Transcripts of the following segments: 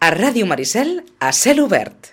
A Ràdio Maricel, a cel obert.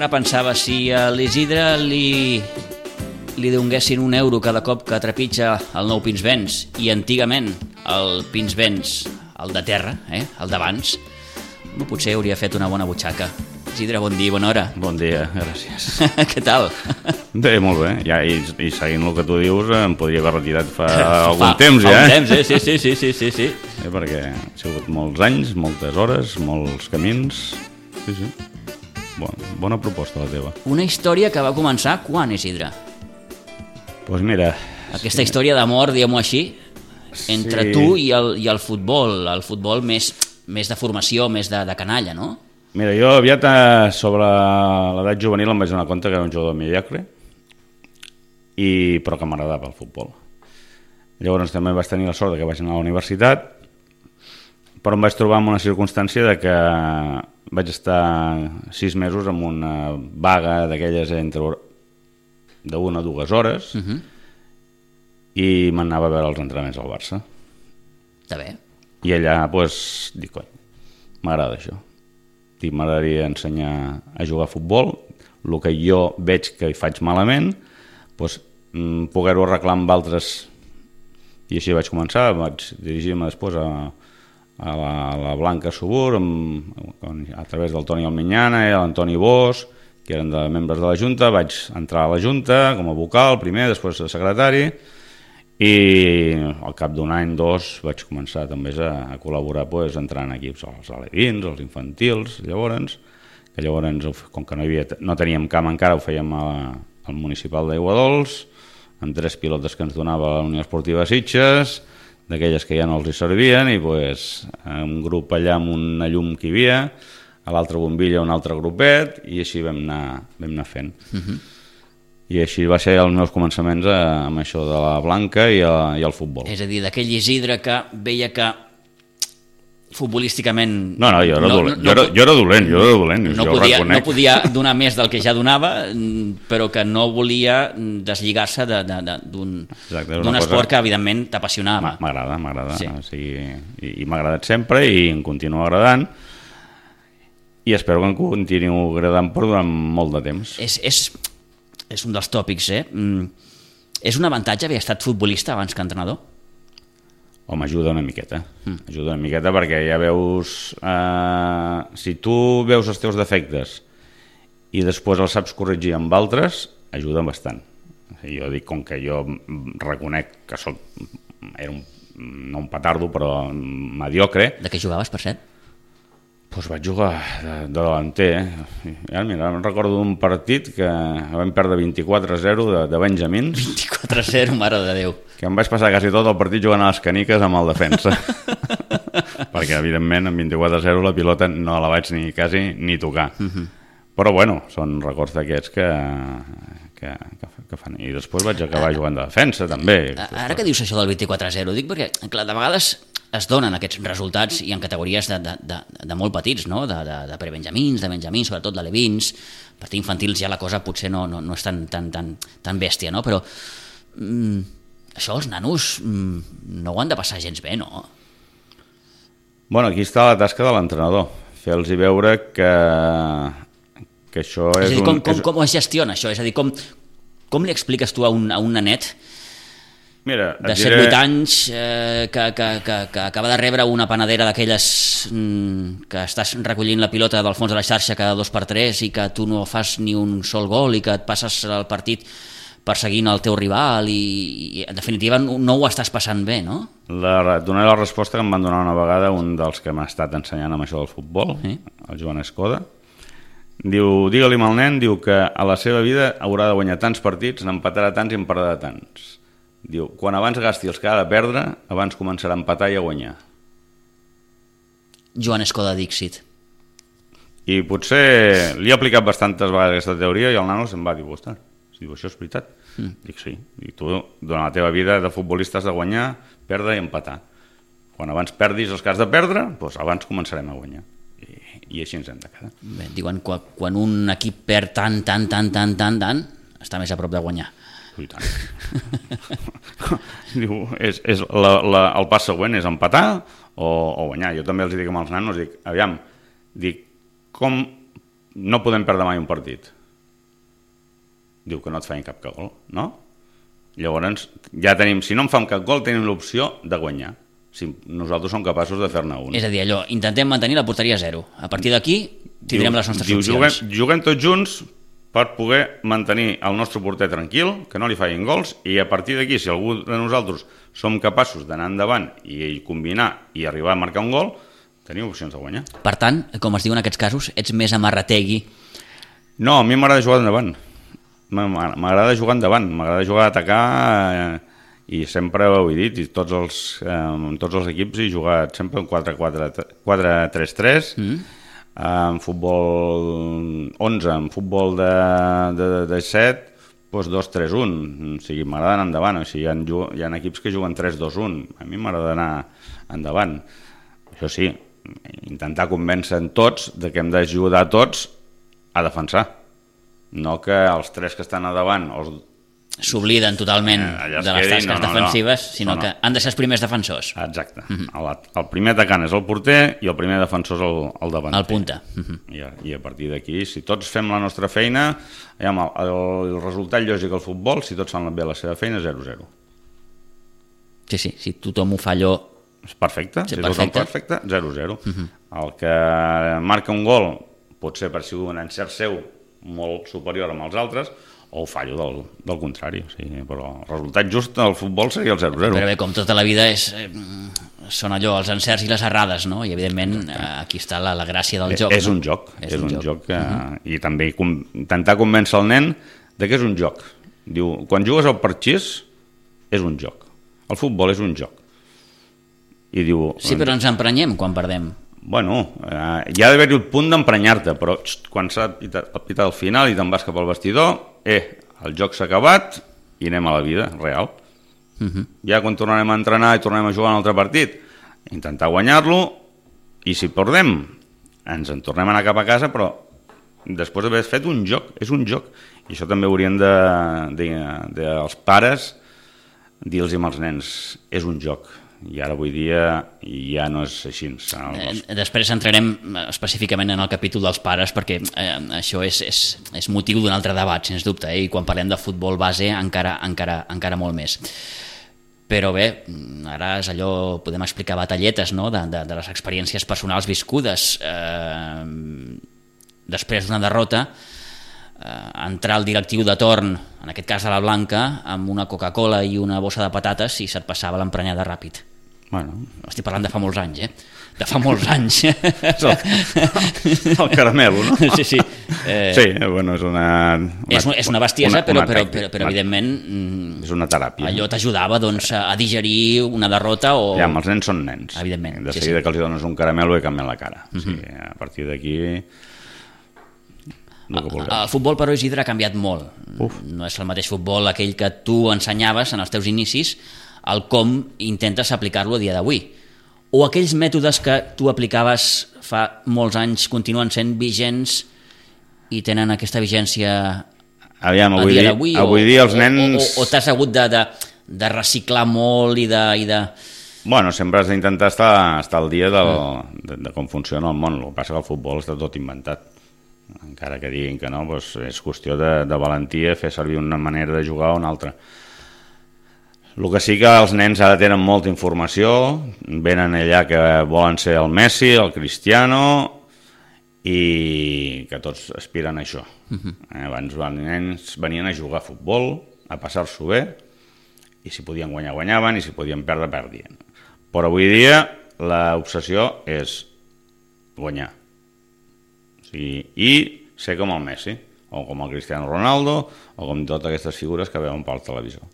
Ara pensava si a l'Isidre li donguessin €1 cada cop que trepitja el nou Pinsbens i antigament el Pinsbens, el de terra, el d'abans, potser hauria fet una bona butxaca. Isidre, bon dia, bona hora. Bon dia, gràcies. Què tal? Bé, molt bé. Ja, i seguint el que tu dius, em podria haver retirat fa algun temps, ja. Fa un temps, sí. Perquè ha sigut molts anys, moltes hores, molts camins. Sí. Bona proposta la teva. Una història que va començar quan, Isidre? Doncs mira... Aquesta història d'amor, diguem-ho així, entre tu i el futbol més de formació, més de canalla, no? Mira, jo aviat sobre l'edat juvenil em vaig donar compte que era un jugador mediocre, però que m'agradava el futbol. Llavors també vaig tenir la sort que vaig anar a la universitat, però em vaig trobar en una circumstància de que vaig estar 6 mesos amb una vaga d'aquelles entre d'1 a 2 hores i m'anava a veure els entrenaments al Barça. Està bé. I allà, doncs, dic, cony, m'agrada això. M'agradaria ensenyar a jugar a futbol, el que jo veig que hi faig malament, doncs, poder-ho arreglar amb altres. I així vaig començar, vaig dirigir-me després a la Blanca Subur a través del Toni Alminyana i l'Antoni Bosch, que eren membres de la Junta. Vaig entrar a la Junta com a vocal primer, després de secretari, i al cap d'un any, 2, vaig començar també a col·laborar entrant en equips, els alevins, els infantils. Llavors, com que no teníem camp encara, ho fèiem al municipal d'Aiguadols, amb 3 pilotes que ens donava la Unió Esportiva Sitges, d'aquelles que ja no els hi servien, i un grup allà amb una llum que hi havia, a l'altra bombilla un altre grupet, i així vam anar fent. I així va ser els meus començaments amb això de la Blanca i el futbol. És a dir, d'aquell Isidre que veia que futbolísticament... No, jo era dolent, no podia donar més del que ja donava, però que no volia deslligar-se d'un esport que evidentment t'apassionava. M'agrada. I m'ha agradat sempre i em continua agradant, i espero que em continuï agradant per durant molt de temps. És un dels tòpics, És un avantatge haver estat futbolista abans que entrenador? Home, ajuda una miqueta. Ajuda una miqueta perquè ja veus... si tu veus els teus defectes i després els saps corregir amb altres, ajuda bastant. Jo dic, com que jo reconec que era no un petardo, però mediocre... De què jugaves, per cert? Doncs vaig jugar de delanter. Mira, em recordo d'un partit que vam perdre 24-0 de Benjamins. 24-0, mare de Déu. Que em vaig passar quasi tot el partit jugant a les caniques amb el defensa. Perquè, evidentment, amb 24-0 la pilota no la vaig ni tocar. Però, bueno, són records d'aquests que fan. I després vaig acabar jugant de defensa, també. Ara que dius això del 24-0, dic perquè, clar, de vegades es donen aquests resultats i en categories de molt petits, no? De prebenjamins, de benjamins, sobretot d'alevins. Per infantils ja la cosa potser no és tan bèstia, no? Però això els nanos no ho han de passar gens bé, no? Bueno, aquí està la tasca de l'entrenador, fer-los veure que això és un... Com es gestiona això? És a dir, com li expliques tu a un nanet de 7-8 anys que acaba de rebre una panadera d'aquelles que estàs recollint la pilota del fons de la xarxa cada 2x3 i que tu no fas ni un sol gol i que et passes el partit perseguint el teu rival i en definitiva no ho estàs passant bé, no? Donaré la resposta que em van donar una vegada un dels que m'ha estat ensenyant amb això del futbol, el Joan Escoda. Diu, digue-li al nen, diu que a la seva vida haurà de guanyar tants partits, n'empatarà tants i en perdrà tants. Diu, quan abans gasti els que ha de perdre, abans començarà a empatar i a guanyar. Joan Escoda Dixit. I potser li he aplicat bastantes vegades aquesta teoria i el nano se'm va dir, ostres, diu, això és veritat? Dic, sí. Dic, tu, durant la teva vida de futbolista has de guanyar, perdre i empatar. Quan abans perdis els que has de perdre, doncs abans començarem a guanyar. I així ens hem de quedar. Bé, diuen que quan un equip perd tant, està més a prop de guanyar. I tant. Diu, el pas següent és empatar o guanyar. Jo també els dic amb els nanos, dic, com no podem perdre mai un partit? Diu que no et feien cap gol, no? Llavors, ja tenim, si no en fan cap gol, tenim l'opció de guanyar. Si nosaltres som capaços de fer-ne un. És a dir, allò, intentem mantenir la porteria a 0. A partir d'aquí tindrem les nostres opcions. Juguem tots junts per poder mantenir el nostre porter tranquil, que no li facin gols, i a partir d'aquí, si algú de nosaltres som capaços d'anar endavant i combinar i arribar a marcar un gol, tenim opcions de guanyar. Per tant, com es diu en aquests casos, ets més amarrategui. No, a mi m'agrada jugar endavant. M'agrada jugar endavant, m'agrada jugar a atacar, i sempre ho he dit, i tots els equips he jugat sempre en 4-3-3, en futbol 11, en futbol de 7, doncs 2-3-1, o sigui, m'agrada anar endavant, o sigui, hi ha equips que juguen 3-2-1, a mi m'agrada anar endavant. Això sí, intentar convèncer tots de que hem d'ajudar tots a defensar, no que els tres que estan a davant s'obliden totalment de les tasques defensives, sinó que han de ser els primers defensors. Exacte. El primer atacant és el porter i el primer defensor és el davanter. El punta. I a partir d'aquí, si tots fem la nostra feina, el resultat lògic al futbol, si tots fan bé la seva feina, 0-0. Sí, si tothom ho fa allò... És perfecte, si tothom perfecte, 0-0. El que marca un gol pot ser per si un encert seu molt superior amb els altres, o fallo del contrari, o sigui, però el resultat just del futbol seria el 0-0. Però bé, com tota la vida són allò, els encerts i les errades, no? I evidentment aquí està la gràcia del joc. És un joc, i també intentar convèncer el nen de que és un joc. Diu, quan jugues al parxís és un joc, el futbol és un joc. I diu... Sí, però ens emprenyem quan perdem. Bueno, hi ha d'haver-hi el punt d'emprenyar-te, però quan s'ha pitat al final i te'n vas cap al vestidor, el joc s'ha acabat i anem a la vida real. Ja quan tornarem a entrenar i tornarem a jugar un altre partit, intentar guanyar-lo, i si perdem ens en tornem a anar cap a casa, però després d'haver fet un joc, és un joc, i això també haurien els pares dir-los als nens, és un joc. I ara avui dia ja no és així. Després entrarem específicament en el capítol dels pares, perquè això és motiu d'un altre debat, sens dubte, i quan parlem de futbol base encara molt més. Però bé, ara és allò, podem explicar batalletes, no?, de les experiències personals viscudes. Després d'una derrota, entrar al directiu de torn, en aquest cas a la Blanca, amb una Coca-Cola i una bossa de patates, i se't passava l'emprenyada ràpid. Bueno. Estic parlant de fa molts anys, de fa molts anys. El caramelo, no? Sí. Sí, bueno, és una bestiesa, però evidentment... És una teràpia. Allò t'ajudava a digerir una derrota o... Ja, els nens són nens. Evidentment. De seguida que els dones un caramelo i canvien la cara. A partir d'aquí... El futbol, però, Isidre, ha canviat molt. No és el mateix futbol aquell que tu ensenyaves en els teus inicis, el com intentes aplicar-lo a dia d'avui. O aquells mètodes que tu aplicaves fa molts anys continuen sent vigents i tenen aquesta vigència a dia d'avui? Avui dia els nens... O t'has hagut de reciclar molt i de... Bueno, sempre has d'intentar estar al dia de com funciona el món. El que passa que el futbol està tot inventat. Encara que diguin que no, doncs és qüestió de valentia fer servir una manera de jugar o una altra. El que sí que els nens ara tenen molta informació, venen allà que volen ser el Messi, el Cristiano, i que tots aspiren a això. Abans els nens venien a jugar a futbol, a passar-s'ho bé, i si podien guanyar, guanyaven, i si podien perdre, perdien. Però avui dia l'obsessió és guanyar. I ser com el Messi, o com el Cristiano Ronaldo, o com totes aquestes figures que veuen pel televisor.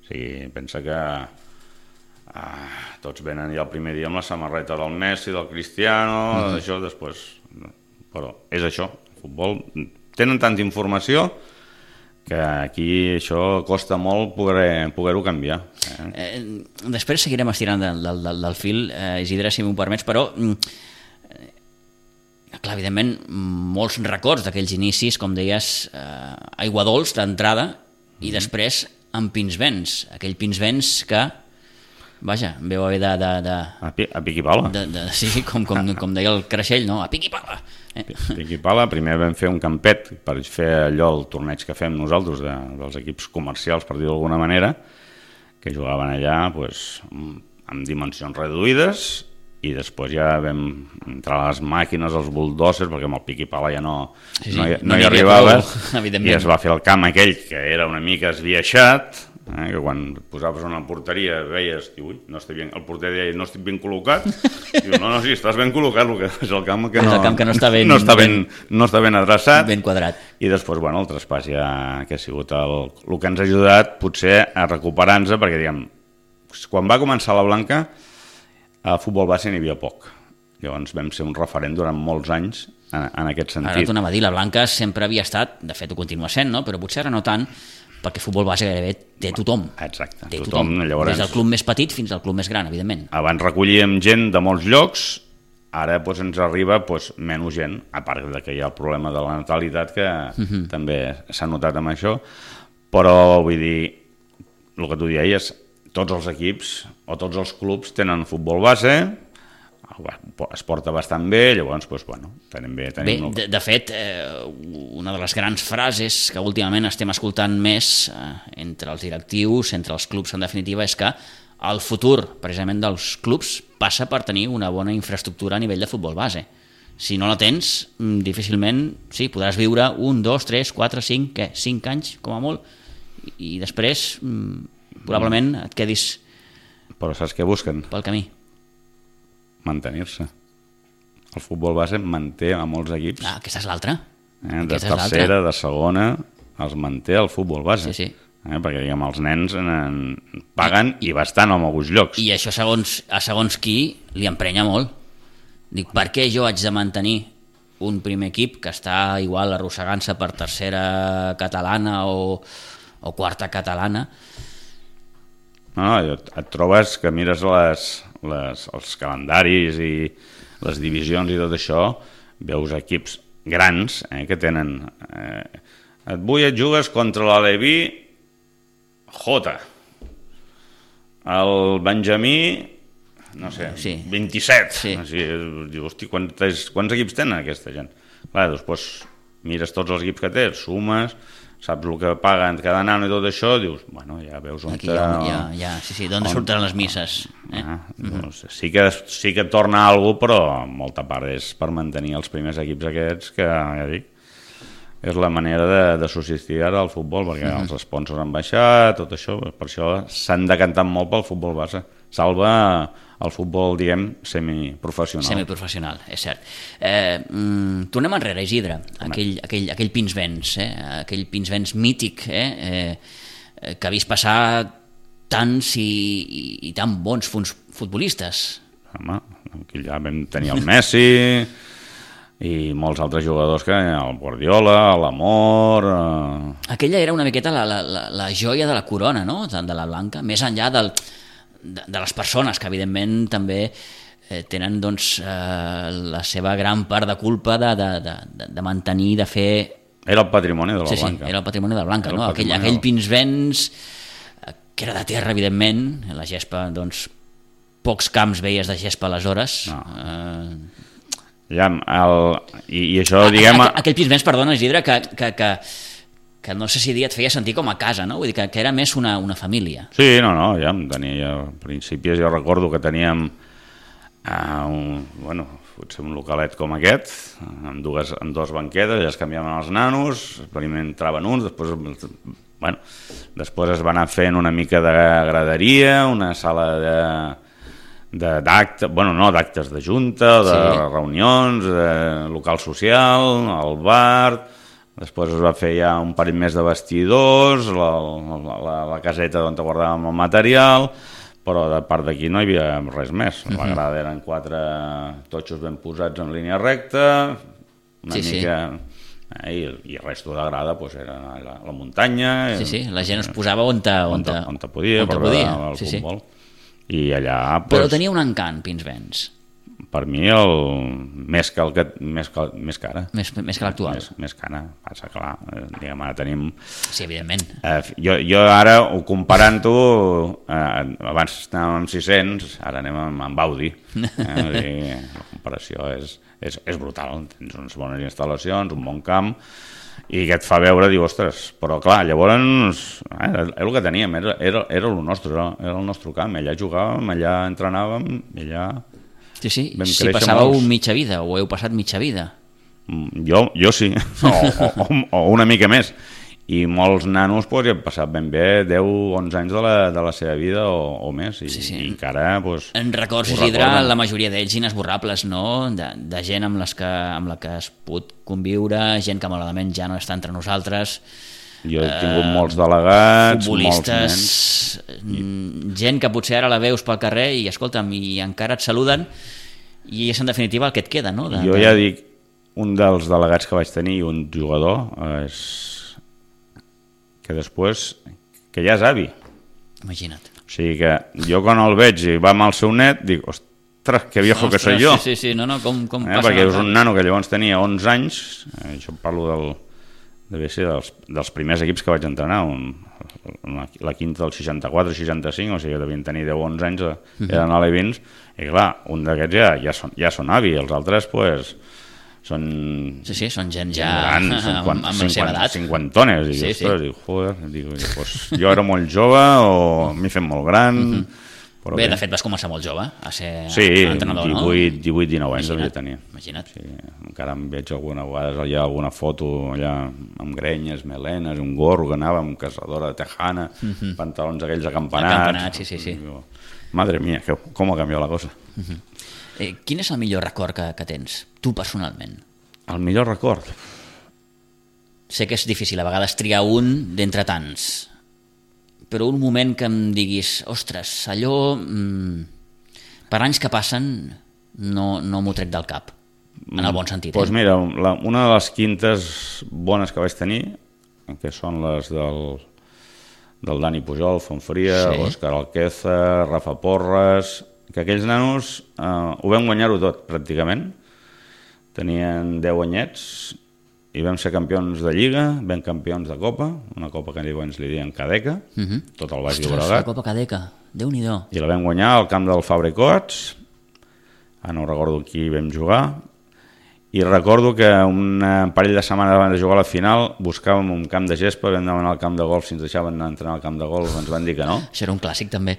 O sigui, pensa que Tots venen ja el primer dia amb la samarreta del Messi, del Cristiano, d'això, després... Però és això, el futbol... Tenen tanta informació que aquí això costa molt poder-ho canviar. Després seguirem estirant del fil, Isidre, si m'ho permets, però... Clar, evidentment, molts records d'aquells inicis, com deies, aigua dolç d'entrada i després amb Pinsbens. Aquell Pinsbens que... Vaja, veu haver de... A pic i pala. Sí, com deia el Creixell, no? A pic i pala. Pic i pala. Primer vam fer un campet per fer allò, el torneig que fem nosaltres dels equips comercials, per dir-ho d'alguna manera, que jugaven allà amb dimensions reduïdes, i després ja vam entrar a les màquines, els bulldozers, perquè amb el pic i pala ja no hi arribaves, i es va fer el camp aquell que era una mica esbiaixat, que quan posaves una porteria veies, ui, no estic ben, el porter deia, no estic ben col·locat, diu, no, sí, estàs ben col·locat, és el camp que no està ben adreçat, ben quadrat. I després, bueno, el traspàs ja que ha sigut el que ens ha ajudat potser a recuperar-nos, perquè diguem, quan va començar la Blanca, a futbol base n'hi havia poc. Llavors vam ser un referent durant molts anys en aquest sentit. Ara t'ho anava a dir, la Blanca sempre havia estat, de fet ho continua sent, no? Però potser ara no tant, perquè futbol base gairebé té tothom. Exacte, té tothom. Llavors, des del club més petit fins al club més gran, evidentment. Abans recollíem gent de molts llocs, ara ens arriba menys gent, a part que hi ha el problema de la natalitat, que també s'ha notat amb això, però vull dir, el que tu deies, tots els equips o tots els clubs tenen futbol base, es porta bastant bé, llavors, tenim bé... De fet, una de les grans frases que últimament estem escoltant més entre els directius, entre els clubs en definitiva, és que el futur, precisament, dels clubs passa per tenir una bona infraestructura a nivell de futbol base. Si no la tens, difícilment, sí, podràs viure 1, 2, 3, 4, 5, 5 anys, com a molt, i després... probablement et quedis... Però saps què busquen? Pel camí. Mantenir-se. El futbol base manté a molts equips. Aquesta és l'altra. De tercera, de segona, els manté el futbol base. Sí. Perquè, diguem, els nens paguen i bastant en alguns llocs. I això, segons qui, li emprenya molt. Dic, per què jo haig de mantenir un primer equip que està igual arrossegant-se per tercera catalana o quarta catalana? No, et trobes que mires els calendaris i les divisions i tot això, veus equips grans que tenen... Avui et jugues contra l'Aleví J. El Benjamí, no sé, 27. Sí. Dius, hosti, quants equips tenen aquesta gent? Clar, després mires tots els equips que té, sumes... saps el que paguen cada nano i tot això, dius, bueno, ja veus on... Aquí d'on surten les misses. Doncs sí que torna alguna cosa, però molta part és per mantenir els primers equips aquests, que ja dic, és la manera de subsistir ara al futbol, perquè els sponsors han baixat, tot això, per això s'han decantat molt pel futbol base. Salva el futbol, diguem, semiprofessional. Semiprofessional, és cert. Tornem enrere, Isidre, aquell Pinsbens, aquell Pinsbens mític, que ha vist passar tants i tan bons futbolistes. Home, aquí ja vam tenir el Messi i molts altres jugadors, que el Guardiola, l'Amor... Aquella era una miqueta la joia de la corona, no?, de la Blanca, més enllà de les persones, que evidentment també tenen doncs, la seva gran part de culpa de mantenir, de fer... Era el patrimoni de la Blanca. Sí, era el patrimoni de la Blanca, no? Aquell Pinsbens, que era de terra, evidentment, la gespa, doncs, pocs camps veies de gespa aleshores. No. I això, diguem... Aquell Pinsbens, perdona, Isidre, que no sé si et feia sentir com a casa, no? Vull dir que era més una família. Sí, no, ja em tenia... Al principi jo recordo que teníem potser un localet com aquest, amb dues banquetes, ja es canviaven els nanos, primer entraven uns, després es va anar fent una mica de graderia, una sala d'actes, no d'actes de junta, de reunions, de local social, el bar... Després es va fer ja un parell més de vestidors, la caseta on guardàvem el material, però de part d'aquí no hi havia res més. La grada eren 4 totxos ben posats en línia recta, una mica... I el resto de la grada era la muntanya. Sí, la gent es posava on podia per veure el futbol. I allà... Però tenia un encant, Pinsbens. Per mi, més que ara. Més que l'actual. Més que ara. Passa, clar, diguem, ara tenim... Sí, evidentment. Jo ara, comparant-ho, abans anàvem amb 600, ara anem amb Audi. La comparació és brutal. Tens unes bones instal·lacions, un bon camp, i que et fa veure, diu, ostres, però clar, llavors era el que teníem, era el nostre, era el nostre camp, allà jugàvem, allà entrenàvem, allà... Sí, si passàveu mitja vida, o heu passat mitja vida. Jo sí, o una mica més. I molts nanos ja han passat ben bé 10-11 anys de la seva vida o més, i encara... En records, Isidre, la majoria d'ells inesborrables, no? De gent amb la que has pogut conviure, gent que malauradament ja no està entre nosaltres... Jo he tingut molts delegats, futbolistes, gent que potser ara la veus pel carrer i, escolta'm, i encara et saluden, i és en definitiva el que et queda, no? Jo ja dic, un dels delegats que vaig tenir, un jugador, és que després, que ja és avi. Imagina't. O sigui que jo quan el veig i va amb el seu net, dic, ostres, que viejo que soy jo. Sí, com passa. Perquè és un nano que llavors tenia 11 anys, això parlo devia ser dels primers equips que vaig entrenar, la quinta del 64-65, o sigui que devien tenir 10-11 anys, eren alevins, i clar, un d'aquests ja són avi, els altres són... Sí, són gent ja grans, amb la seva edat. 50tones, i ostres, jo era molt jove o m'he fet molt gran... Bé, de fet vas començar molt jove a ser entrenador, no? 18-19 anys devia tenir. Imagina't. Sí, encara em veig alguna vegada, hi ha alguna foto allà amb grenyes, melenes, un gorro que anava amb caçadora de tejana, pantalons aquells acampanats. Sí. Madre mía, com ha canviat la cosa. Quin és el millor record que tens, tu personalment? El millor record? Sé que és difícil a vegades triar un d'entre tants, però un moment que em diguis, ostres, allò, per anys que passen, no m'ho trec del cap, en el bon sentit. Doncs mira, una de les quintes bones que vaig tenir, que són les del Dani Pujol, Fontfria, Òscar Alqueza, Rafa Porres, que aquells nanos ho vam guanyar-ho tot, pràcticament. Tenien 10 anyets, i vam ser campions de Lliga, vam campions de Copa, una Copa que ens li diuen Cadeca, tot el Baix Llobregat. La Copa Cadeca, Déu-n'hi-do. I la vam guanyar al camp del Fabra i Coats, no recordo qui vam jugar, i recordo que un parell de setmanes abans de jugar a la final buscàvem un camp de gespa, vam demanar al camp de golf, si ens deixaven anar a entrenar al camp de golf, ens van dir que no. Això era un clàssic també.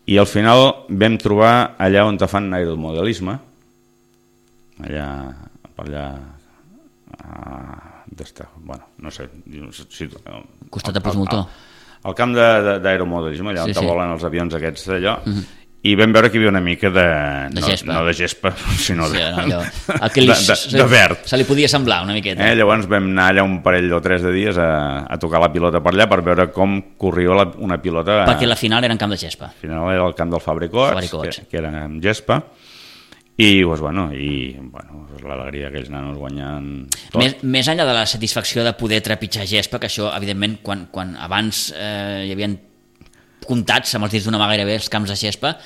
I al final vam trobar allà on te fan aeromodelisme, allà bueno, no sé costat de Postmoltó, al camp d'aeromodelisme, allà on volen els avions aquests d'allò, i vam veure que hi havia una mica de gespa. No de gespa, sinó de verd. Se li podia semblar una miqueta. Llavors vam anar allà un parell o 3 de dies a tocar la pilota per allà per veure com corria una pilota. Perquè la final era en camp de gespa. La final era el camp del Fabra i Coats, que era en gespa. I l'alegria que els nanos guanyen tot. Més enllà de la satisfacció de poder trepitjar gespa, que això, evidentment, quan abans hi havia comptats amb els dits d'una mà gairebé els camps de gespa,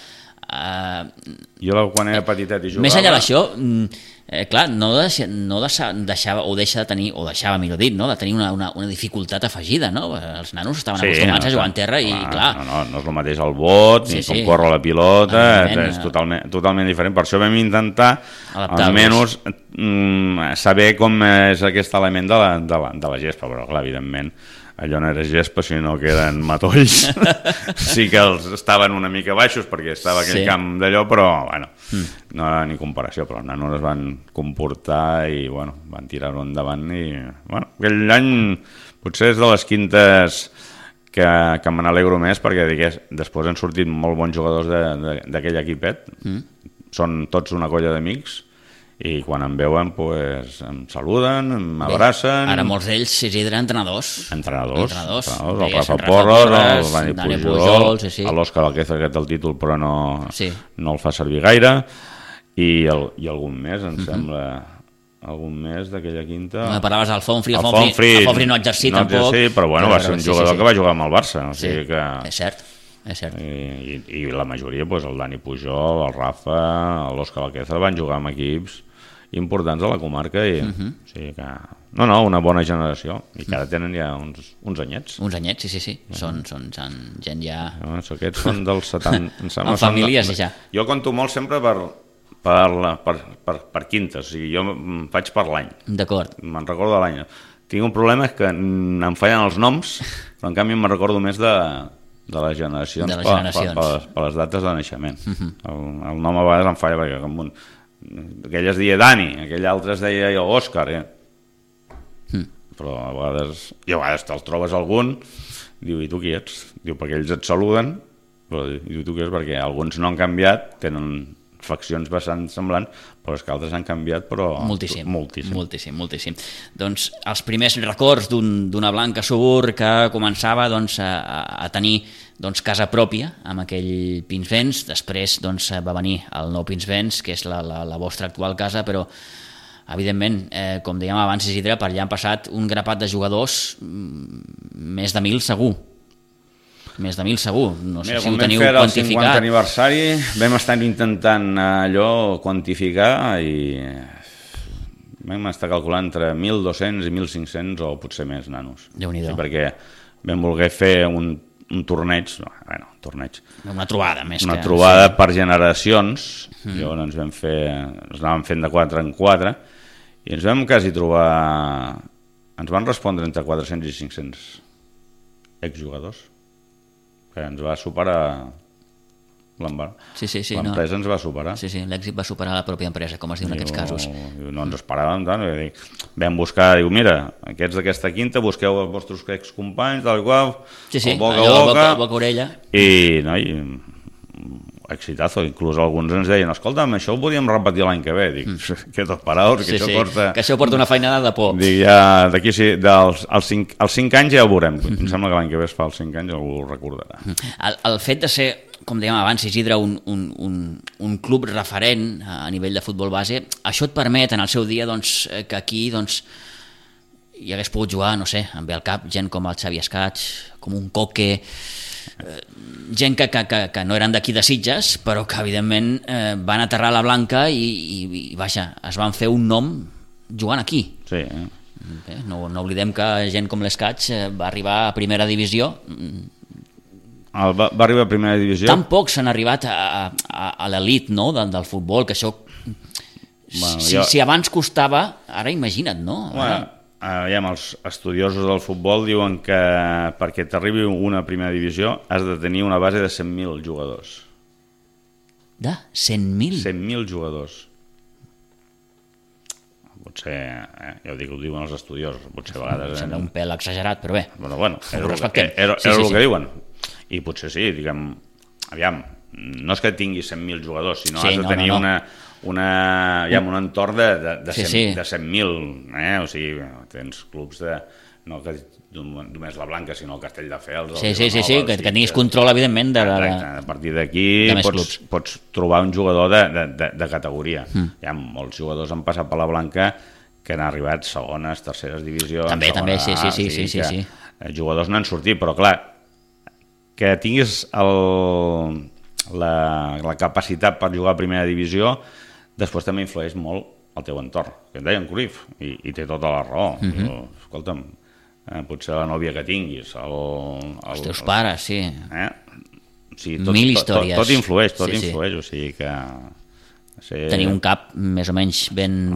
jo quan era petitet i jugava... Més enllà d'això, clar, no deixava, o deixa de tenir, o deixava, millor dit, no? De tenir una dificultat afegida, no? Els nanos estaven acostumats a jugar en terra i, clar... No és el mateix el bot, ni com corre la pilota, és totalment diferent. Per això vam intentar, almenys, saber com és aquest element de la gespa, però, clar, evidentment, allò no era gespa, sinó que eren matolls. Sí que els estaven una mica baixos perquè estava aquell camp d'allò, però bueno, no era ni comparació, però els nanos es van comportar i bueno, van tirar-ho endavant i bueno, aquell any potser és de les quintes que me n'alegro més perquè després han sortit molt bons jugadors d'aquell equipet, són tots una colla d'amics i quan em veuen em saluden, m'abracen. Ara molts d'ells, Isidre, entrenadors. Entrenadors. El Rafa Porres, el Dani Pujol, sí. l'Òscar Alquézar, que té el títol però no el fa servir gaire, i algun més, em sembla, algun més d'aquella quinta. Parlaves del Fonfri, el Fonfri no ha exercit tampoc. Però bueno, va ser un jugador que va jugar amb el Barça, o sigui que... És cert. I la majoria, el Dani Pujol, el Rafa, l'Òscar Alquézar van jugar amb equips importants a la comarca i o sigui que... No, una bona generació i que ara tenen ja uns anyets. Uns anyets, sí. Són gent ja... Aquests són dels 70... Amb famílies ja. Jo conto molt sempre per quintes, o sigui, jo faig per l'any. D'acord. Me'n recordo de l'any. Tinc un problema que em fallen els noms, però en canvi me'n recordo més de les generacions, per les dates de naixement. El nom a vegades em falla perquè aquell es deia Dani, aquell altre es deia Òscar, però a vegades te'ls trobes algun, diu, i tu qui ets? Diu, perquè ells et saluden, però diu, tu qui ets? Perquè alguns no han canviat, tenen faccions bastant semblants, però és que altres han canviat, però... Moltíssim. Doncs els primers records d'una Blanca Subur que començava a tenir casa pròpia amb aquell Pinsbens, després va venir el nou Pinsbens, que és la vostra actual casa, però evidentment, com dèiem abans, Isidre, per allà han passat un grapat de jugadors, més de 1.000 segur. Més de 1.000 segur, no sé si ho teniu quantificat. El 50 aniversari vam estar intentant allò quantificar i vam estar calculant entre 1.200 i 1.500 o potser més nanos. Déu-n'hi-do. Sí, perquè vam voler fer un torneig, una trobada més una trobada per generacions. Llavors ens anàvem fent de 4 en 4 i ens vam quasi trobar, ens van respondre entre 400 i 500 exjugadors, que ens va superar l'empresa, ens va superar. Sí, l'èxit va superar la pròpia empresa, com es diu en aquests casos. No ens esperàvem tant, vam buscar, mira, aquests d'aquesta quinta, busqueu els vostres excompanys, tal i qual, boca a orella. I exitazo, inclús alguns ens deien, escolta'm, això ho podíem repetir l'any que ve. Dic, que tot paraus, que això porta una feinada de por. Dic, ja, d'aquí als 5 anys ja ho veurem. Em sembla que l'any que ve es fa els 5 anys, algú ho recordarà. El fet de ser, com dèiem abans, Isidre, un club referent a nivell de futbol base, això et permet en el seu dia que aquí hi hagués pogut jugar, no sé, em ve al cap gent com el Xavi Escaig, com un Coque, gent que no eren d'aquí de Sitges, però que evidentment van aterrar a la Blanca i vaja, es van fer un nom jugant aquí. Sí. Bé, no oblidem que gent com l'Escaig va arribar a primera divisió. Va arribar a primera divisió. Tampoc s'han arribat a l'elit, no?, del futbol, que això si abans costava, ara imagina't, no? Els estudiosos del futbol diuen que perquè t'arribi una primera divisió has de tenir una base de 100.000 jugadors. De 100.000? 100.000 jugadors. Potser, ja ho diuen els estudiosos, potser a vegades... Sembla un pèl exagerat, però bé. Bueno, era el que diuen. I potser sí, diguem, aviam, no és que tingui 100.000 jugadors, sinó has de tenir un entorn de 100.000, o sigui, tens clubs no que només la Blanca, sinó el Castelldefels. Sí, que tinguis control, evidentment, a partir d'aquí pots trobar un jugador de categoria. Hi ha molts jugadors han passat per la Blanca que han arribat segones, terceres divisions. També, sí. Jugadors no han sortit, però clar, que tinguis la capacitat per jugar a primera divisió després també influeix molt el teu entorn, que en deien Cruyff, i té tota la raó. Escolta'm, potser la nòvia que tinguis, els teus pares, sí. Mil històries. Tot influeix, o sigui que... Tenir un cap més o menys ben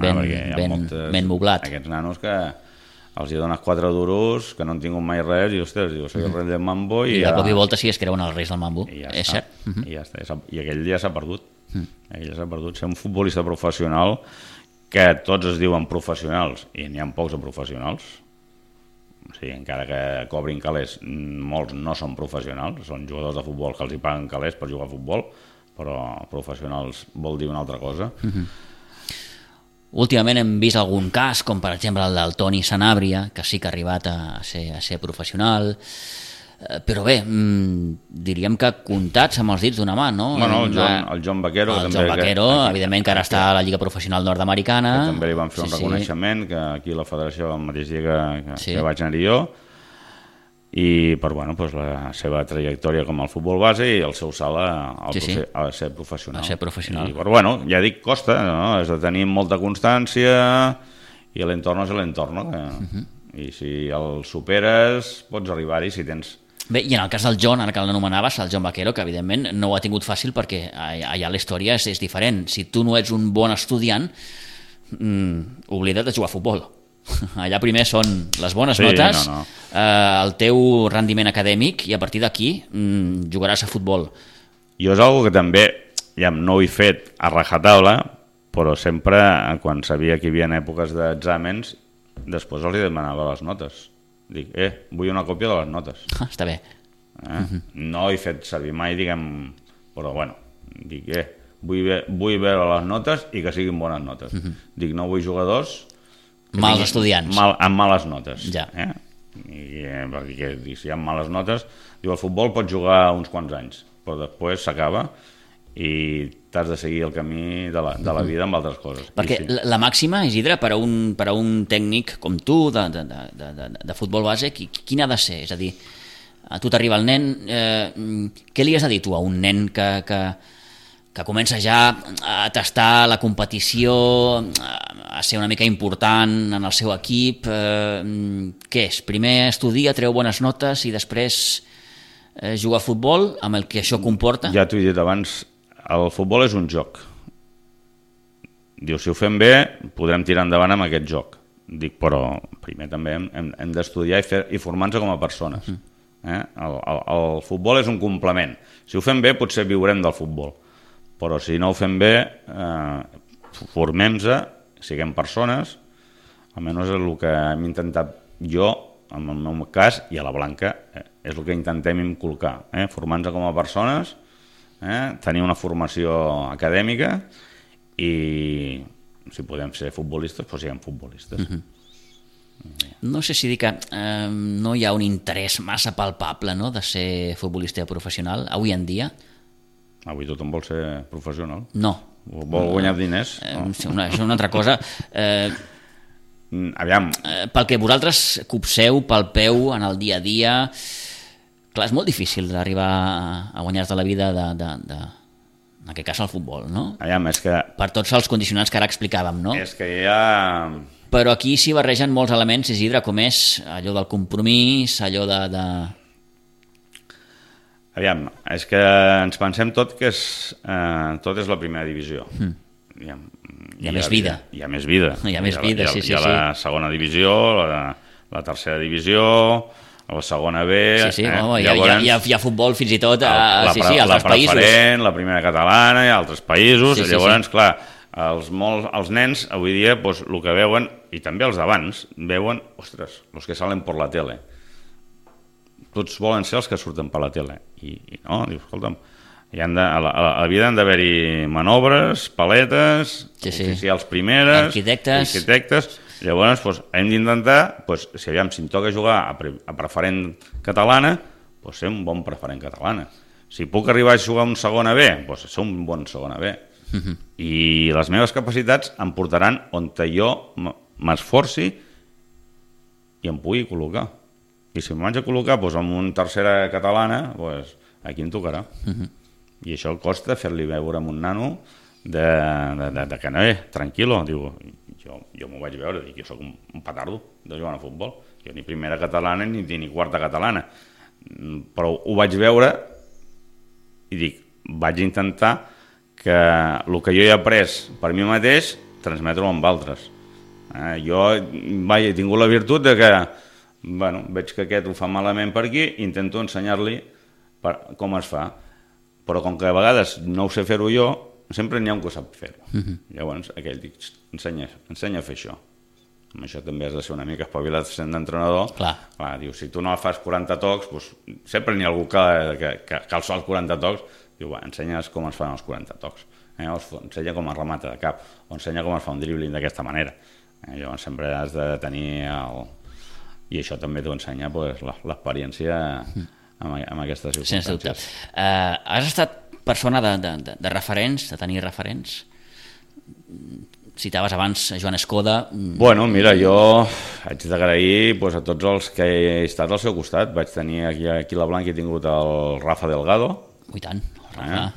moblat. Aquests nanos que els hi dones 4 duros, que no han tingut mai res, i ostres, soy el rei del mambo... I de cop i volta sí es creuen els reis del mambo, és cert. I ja està, i aquell ja s'ha perdut. Ser un futbolista professional, que tots es diuen professionals, i n'hi ha pocs de professionals, o sigui, encara que cobrin calés, molts no són professionals, són jugadors de futbol que els hi paguen calés per jugar a futbol, però professionals vol dir una altra cosa. Últimament hem vist algun cas, com per exemple el del Toni Sanabria, que sí que ha arribat a ser professional, però bé, diríem que comptats amb els dits d'una mà, no? Bueno, el John Vaquero... El John Vaquero, evidentment, que ara està a la Lliga Professional Nord-Americana. Que també li van fer un reconeixement, que aquí a la federació, el mateix dia que vaig anar-hi jo, i per la seva trajectòria com al futbol base i el seu salt a ser professional. A ser professional. I, però ja dic, costa, no? Has de tenir molta constància i l'entorn és l'entorn, no? I si el superes pots arribar-hi si tens... Bé, i en el cas del John, ara que l'anomenaves, el John Vaquero, que evidentment no ho ha tingut fàcil perquè allà la història és diferent. Si tu no ets un bon estudiant, oblida't de jugar a futbol. Allà primer són les bones notes, el teu rendiment acadèmic, i a partir d'aquí jugaràs a futbol. Jo és una que també no ho he fet a rajatabla, però sempre, quan sabia que hi havia èpoques d'exàmens, després els demanava les notes. Dic, vull una còpia de les notes. Està bé. No he fet servir mai, però dic, vull veure les notes i que siguin bones notes. Dic, no vull jugadors mals estudiants. Amb males notes. Ja. Perquè si hi ha males notes, diu, el futbol pots jugar uns quants anys, però després s'acaba i t'has de seguir el camí de la vida amb altres coses. Perquè la màxima, Isidre, per a un tècnic com tu, de futbol base, quina ha de ser? És a dir, a tu t'arriba el nen, què li has de dir tu a un nen que comença ja a tastar la competició, a ser una mica important en el seu equip? Què és? Primer estudia, treu bones notes i després jugar a futbol, amb el que això comporta? Ja t'ho he dit abans, el futbol és un joc. Diu, si ho fem bé, podrem tirar endavant amb aquest joc. Dic, però primer també hem d'estudiar i formar-nos com a persones. El futbol és un complement. Si ho fem bé, potser viurem del futbol. Però si no ho fem bé, formem-nos, siguem persones, almenys és el que hem intentat jo, en el meu cas, i a la Blanca, és el que intentem inculcar. Formar-nos com a persones, tenir una formació acadèmica i si podem ser futbolistes, doncs siguem futbolistes. No sé si dir que no hi ha un interès massa palpable, no?, de ser futbolista professional avui en dia. Avui tothom vol ser professional. No. Vol guanyar diners. És una altra cosa. Aviam. Pel que vosaltres copseu, palpeu en el dia a dia, clar, és molt difícil d'arribar a guanyar-te la vida en aquest cas al futbol, no? Aviam, és que... Per tots els condicionants que ara explicàvem, no? És que hi ha... Però aquí s'hi barregen molts elements, Isidre, com és allò del compromís, allò de... Aviam, és que ens pensem tot que tot és la primera divisió. Hi ha més vida. Hi ha més vida. Hi ha més vida, sí. Hi ha la segona divisió, la tercera divisió, la segona B... Sí, llavors, hi ha futbol fins i tot a altres països. La preferent, la primera catalana, i altres països. Llavors, clar, els nens avui dia, el que veuen, i també els d'abans, veuen, ostres, els que salen per la tele. Tots volen ser els que surten per la tele. I no, dius, escolta'm, a la vida han d'haver-hi manobres, paletes, oficials primeres, arquitectes. Llavors, hem d'intentar, si em toca jugar a preferent catalana, ser un bon preferent catalana. Si puc arribar a jugar a un segona B, ser un bon segona B. I les meves capacitats em portaran on jo m'esforci i em pugui col·locar. I si em vaig a col·locar en una tercera catalana, aquí em tocarà. I això costa fer-li veure a un nano que no, tranquil·lo, diu, jo m'ho vaig veure, dic, jo soc un petardo de jugar a futbol, jo ni primera catalana ni quarta catalana, però ho vaig veure i dic, vaig intentar que el que jo he après per mi mateix transmetre-ho amb altres. Jo he tingut la virtut de que veig que aquest ho fa malament per aquí, intento ensenyar-li com es fa, però com que a vegades no ho sé fer-ho jo, sempre n'hi ha un que sap fer-ho. Llavors aquell dic, ensenya a fer això. Amb això també has de ser una mica espavilat sent d'entrenador. Clar, diu, si tu no fas 40 tocs, sempre n'hi ha algú que alça els 40 tocs, diu, ensenyes com es fan els 40 tocs. o ensenya com es remata de cap, o ensenya com es fa un dribbling d'aquesta manera. Llavors sempre has de tenir i això també t'ho ensenya l'experiència en aquestes circumstàncies. Sense dubte. Has estat persona de referents, de tenir referents? Citaves abans Joan Escoda. Bueno, mira, jo haig d'agrair a tots els que he estat al seu costat. Vaig tenir aquí a la Blanca, he tingut el Rafa Delgado, I tant, el Rafa.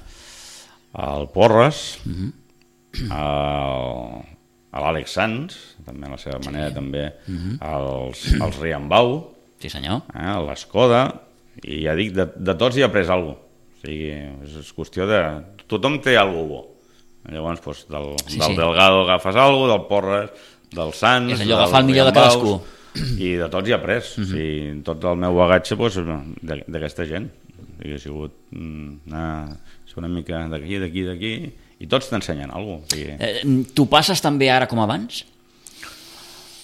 El Porres, l'Àlex Sanz, també a la seva manera, també els Riambau, sí senyor, l'Escoda, i ja dic, de tots hi he après alguna cosa. O sigui, és qüestió de... Tothom té alguna cosa bo. Llavors, del Delgado agafes alguna cosa, del Porres, del Sanz... És allò, agafar el millor de cadascú. I de tots hi he après. O sigui, tot el meu bagatge d'aquesta gent. Ha sigut una mica d'aquí, i tots t'ensenyen alguna cosa. Tu passes també ara com abans?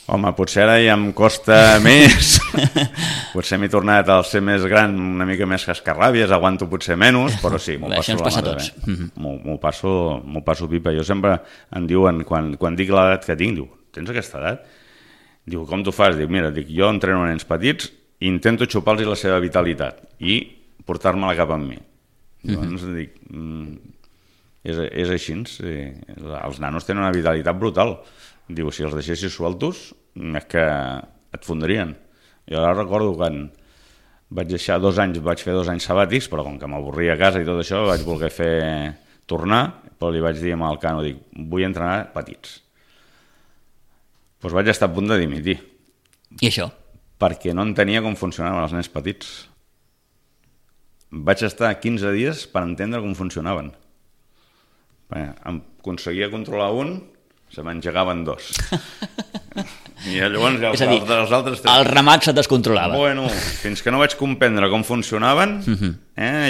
Home, potser ara ja em costa més. Potser m'he tornat a ser més gran, una mica més cascarràbies, aguanto potser menys, però sí, m'ho passo la mà bé. M'ho passo pipa. Jo sempre em diuen, quan dic l'edat que tinc, diu, tens aquesta edat? Diu, com t'ho fas? Dic, mira, jo entreno nens petits i intento xupar-los la seva vitalitat i portar-me-la cap amb mi. Llavors dic, és així, els nanos tenen una vitalitat brutal. Diu, si els deixessis sueltos, és que et fondrien. Jo ara recordo quan vaig deixar 2 anys, vaig fer 2 anys sabàtics, però com que m'avorria a casa i tot això, vaig voler tornar, però li vaig dir al Cano, dic, vull entrenar petits. Doncs vaig estar a punt de dimitir. I això? Perquè no entenia com funcionaven els nens petits. Vaig estar 15 dies per entendre com funcionaven. Em aconseguia controlar un, se m'engegaven 2. I llavors ja els altres... El ramat se descontrolava. Bueno, fins que no vaig comprendre com funcionaven,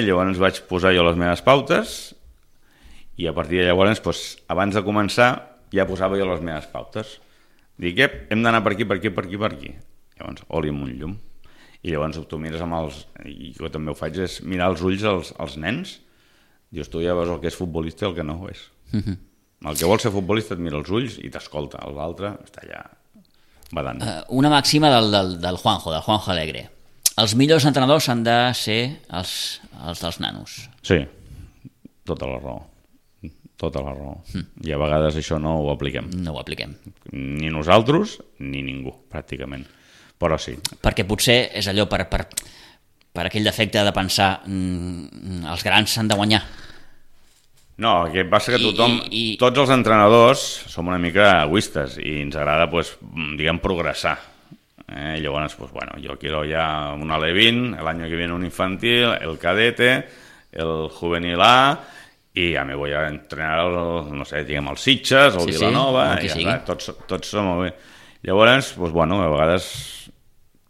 llavors vaig posar jo les meves pautes i a partir de llavors, abans de començar, ja posava jo les meves pautes. Dic, hem d'anar per aquí. Llavors, oli amb un llum. I llavors tu mires amb els... I jo també ho faig, és mirar els ulls als nens. Dius, tu ja veus el que és futbolista i el que no ho és. El que vol ser futbolista et mira els ulls i t'escolta. L'altre està allà badant. Una màxima del Juanjo Alegre. Els millors entrenadors han de ser els dels nanos. Sí, tota la raó. I a vegades això no ho apliquem. No ho apliquem. Ni nosaltres, ni ningú, pràcticament. Però sí. Perquè potser és allò per aquell defecte de pensar els grans s'han de guanyar. No, el que passa que tots els entrenadors som una mica egoistes i ens agrada, diguem, progressar. Llavors, yo quiero ya un Ale20, el año que viene un infantil, el cadete, el juvenil A, i ja me voy a entrenar el Sitges, el Vilanova, i ja està, tots som molt bé. Llavors, a vegades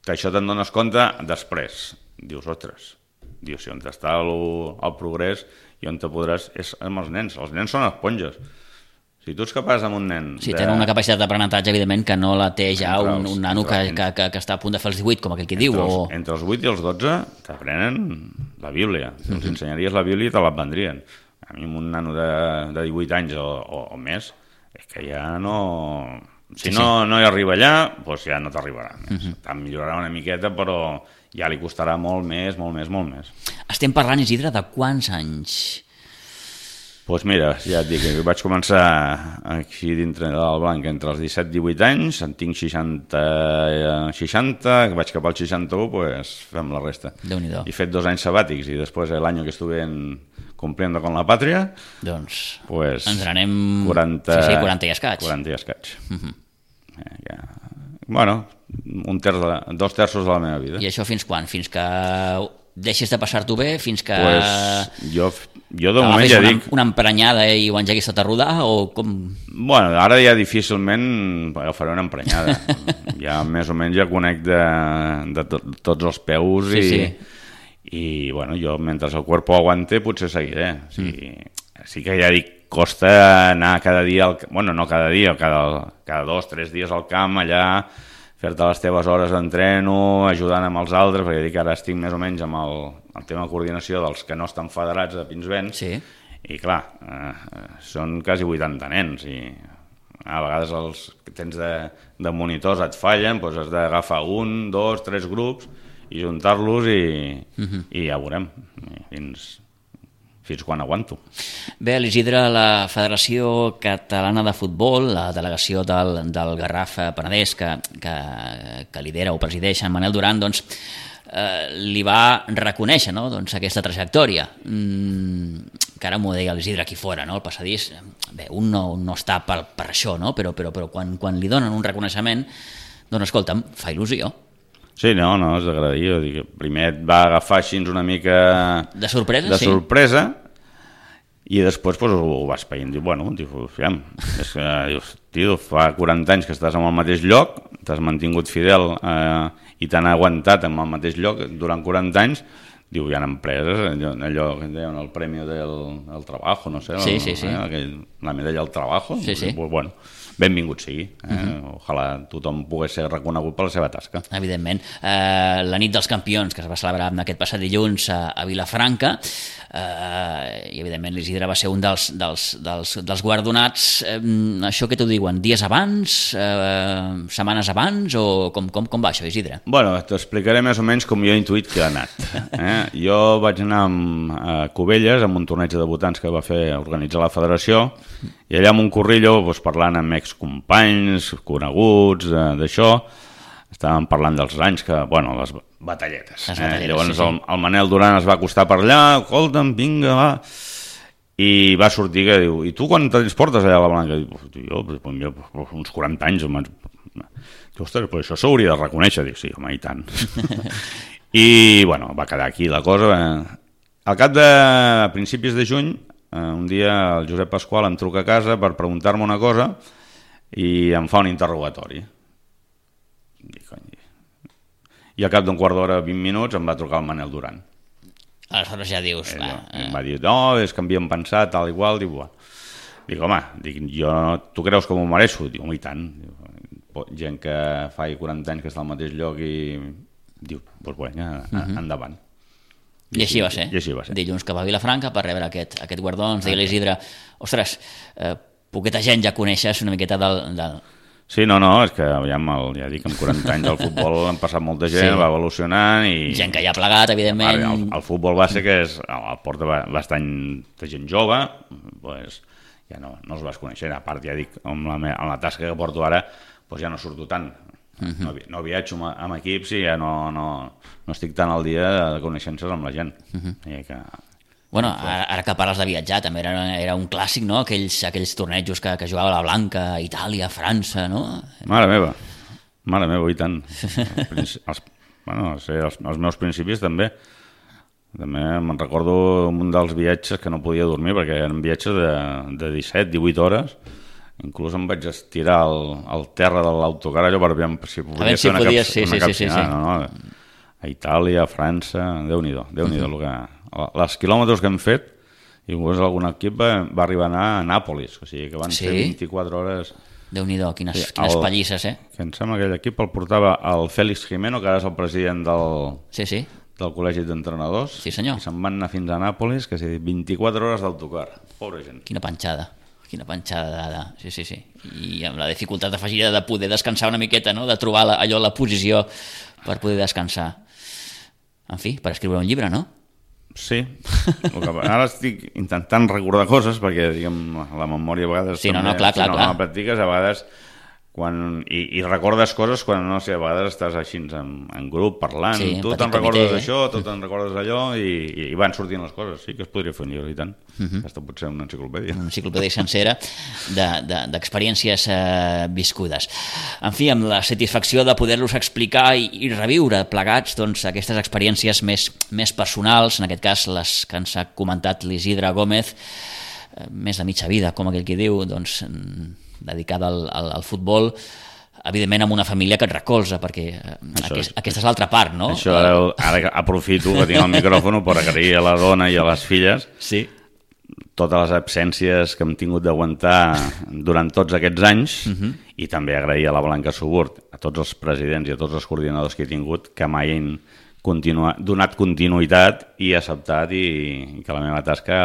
que això te'n dones compte després. Dius, ostres, si on està el progrés i on te podràs és amb els nens. Els nens són esponges. Si tu ets capaç amb un nen... Sí, tenen una capacitat d'aprenentatge, evidentment, que no la té ja un nano que està a punt de fer els 18, com aquell que diu. Entre els 8 i els 12 t'aprenen la Bíblia. Els ensenyaries la Bíblia i te l'aprendrien. A mi un nano de 18 anys o més, és que ja no... Si no hi arriba allà, doncs ja no t'arribarà. Te'n millorarà una miqueta, però ja li costarà molt més. Estem parlant, Isidre, de quants anys? Doncs mira, ja et dic, vaig començar aquí dintre del Blanc entre els 17 i 18 anys, en tinc 60, vaig cap al 61, doncs fem la resta. Déu-n'hi-do. He fet 2 anys sabàtics i després l'any que estuve cumpliendo con la pàtria, doncs pues ens n'anem 40 i escaig. 40 i escaig. Bueno, 2 terços de la meva vida. I això fins quan? Fins que deixes de passar-t'ho bé? Fins que... Jo de moment ja dic... Una emprenyada i ho engeguis tot a rodar o com... Bueno, ara ja difícilment agafaré una emprenyada. Ja més o menys ja conec de tots els peus i bueno, jo mentre el cuerpo aguante potser seguiré. Sí que ja dic, costa anar cada dia, no cada dia, cada 2 o 3 dies al camp allà, fer-te les teves hores d'entreno, ajudant amb els altres, perquè dic que ara estic més o menys amb el tema de coordinació dels que no estan federats de Pinsbens, I clar, són quasi 80 nens i a vegades els que tens de monitors et fallen, doncs has d'agafar 1, 2, 3 grups i juntar-los i ja veurem fins quan aguanto. Bé, l'Isidre, la Federació Catalana de Futbol, la delegació del Garraf Penedès que lidera o presideix en Manel Duran, doncs li va reconèixer, no? Doncs aquesta trajectòria que ara m'ho deia l'Isidre aquí fora, no? El passadís, bé, un no està per això, no? Però quan li donen un reconeixement, doncs escolta'm, fa il·lusió. Sí, no, és d'agrair. Primer et va agafar així una mica de sorpresa, i després ho vas veient. Diu, és que, tio, fa 40 anys que estàs en el mateix lloc, t'has mantingut fidel i t'han aguantat en el mateix lloc durant 40 anys. Diu, hi ha empreses, allò que deien el Premi del Trabajo, no sé, la medalla del Trabajo. Sí. Bueno, benvingut sigui. Ojalà tothom pogués ser reconegut per la seva tasca. Evidentment. La nit dels campions, que es va celebrar aquest passat dilluns a Vilafranca, i evidentment l'Isidre va ser un dels guardonats. Això què t'ho diuen? Dies abans? Setmanes abans? O com va això, Isidre? Bueno, t'explicaré més o menys com jo he intuït que ha anat. Jo vaig anar a Cubelles amb un torneig de debutants que va organitzar la federació, i allà amb un corrillo parlant amb excompanys, coneguts, d'això, estàvem parlant dels anys que, les batalletes. Llavors el Manel Duran es va acostar per allà, escolta'm, vinga, va, i va sortir que diu, i tu quan te'ls portes allà a la Blanca? Jo, uns 40 anys. Diu, ostres, però això s'hauria de reconèixer. Dic, sí, home, i tant. I, va quedar aquí la cosa. Al cap de principis de juny, un dia el Josep Pasqual em truca a casa per preguntar-me una cosa i em fa un interrogatori. I al cap d'un quart d'hora, 20 minuts, em va trucar el Manel Duran. Aleshores ja dius... Em va dir, no, és que havíem pensat, tal i qual. Dic, home, tu creus que m'ho mereixo? Dic, home, i tant. Gent que fa 40 anys que està al mateix lloc i diu, endavant. I així va ser. Dilluns que va a Vilafranca per rebre aquest guardó, ens deia l'Isidre, ostres, poqueta gent ja coneixes una miqueta del... Sí, no, és que ja dic, amb 40 anys del futbol han passat molta gent, va evolucionant i... Gent que ja ha plegat, evidentment. El futbol base que el porta bastant de gent jove, ja no els vas conèixer. A part, ja dic, amb la tasca que porto ara, ja no surto tant. No viatjo amb equips i ja no estic tan al dia de coneixences amb la gent. Bueno, ara que parles de viatjar, també era un clàssic, no? Aquells tornejos que jugava a la Blanca, Itàlia, França, no? Mare meva, i tant. Els meus principis també. També me'n recordo un dels viatges que no podia dormir perquè eren viatges de 17-18 hores. Inclús em vaig estirar al terra de l'autocar allò per veure si podia fer una capcinada. A Itàlia, a França, Déu-n'hi-do, els quilòmetres que hem fet, i algun equip va arribar a anar a Nàpolis, o sigui que van ser 24 hores. Déu-n'hi-do, quines pallisses, Que em sembla que aquell equip el portava el Félix Jimeno, que ara és el president del Col·legi d'Entrenadors. Sí, senyor. I se'n van anar fins a Nàpolis, que 24 hores d'autocar. Pobra gent. Quina panxada sí. I amb la dificultat afegida de poder descansar una miqueta, no? De trobar allò, la posició per poder descansar. En fi, per escriure un llibre, no? Sí. Ara estic intentant recordar coses perquè, diguem, la memòria a vegades... Sí, clar. Si no la practiques, a vegades... I recordes coses quan, no sé, a vegades estàs així en grup parlant, tu te'n recordes d'això, tu te'n recordes d'allò, i van sortint les coses. Sí que es podria fer un llibre, i tant. Aquesta pot ser una enciclopèdia. Una enciclopèdia sencera d'experiències viscudes. En fi, amb la satisfacció de poder-los explicar i reviure plegats aquestes experiències més personals, en aquest cas les que ens ha comentat l'Isidre Gómez, més de mitja vida, com aquell que diu, dedicada al futbol, evidentment amb una família que et recolza, perquè aquesta és l'altra part, no? Això ara aprofito que tinc el micròfon per agrair a la dona i a les filles totes les absències que hem tingut d'aguantar durant tots aquests anys, i també agrair a la Blanca Suburt, a tots els presidents i a tots els coordinadors que he tingut, que mai han donat continuïtat i acceptat i que la meva tasca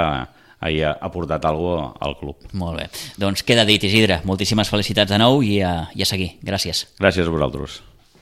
hagi aportat alguna cosa al club. Molt bé. Doncs queda dit, Isidre. Moltíssimes felicitats de nou i a seguir. Gràcies. Gràcies a vosaltres.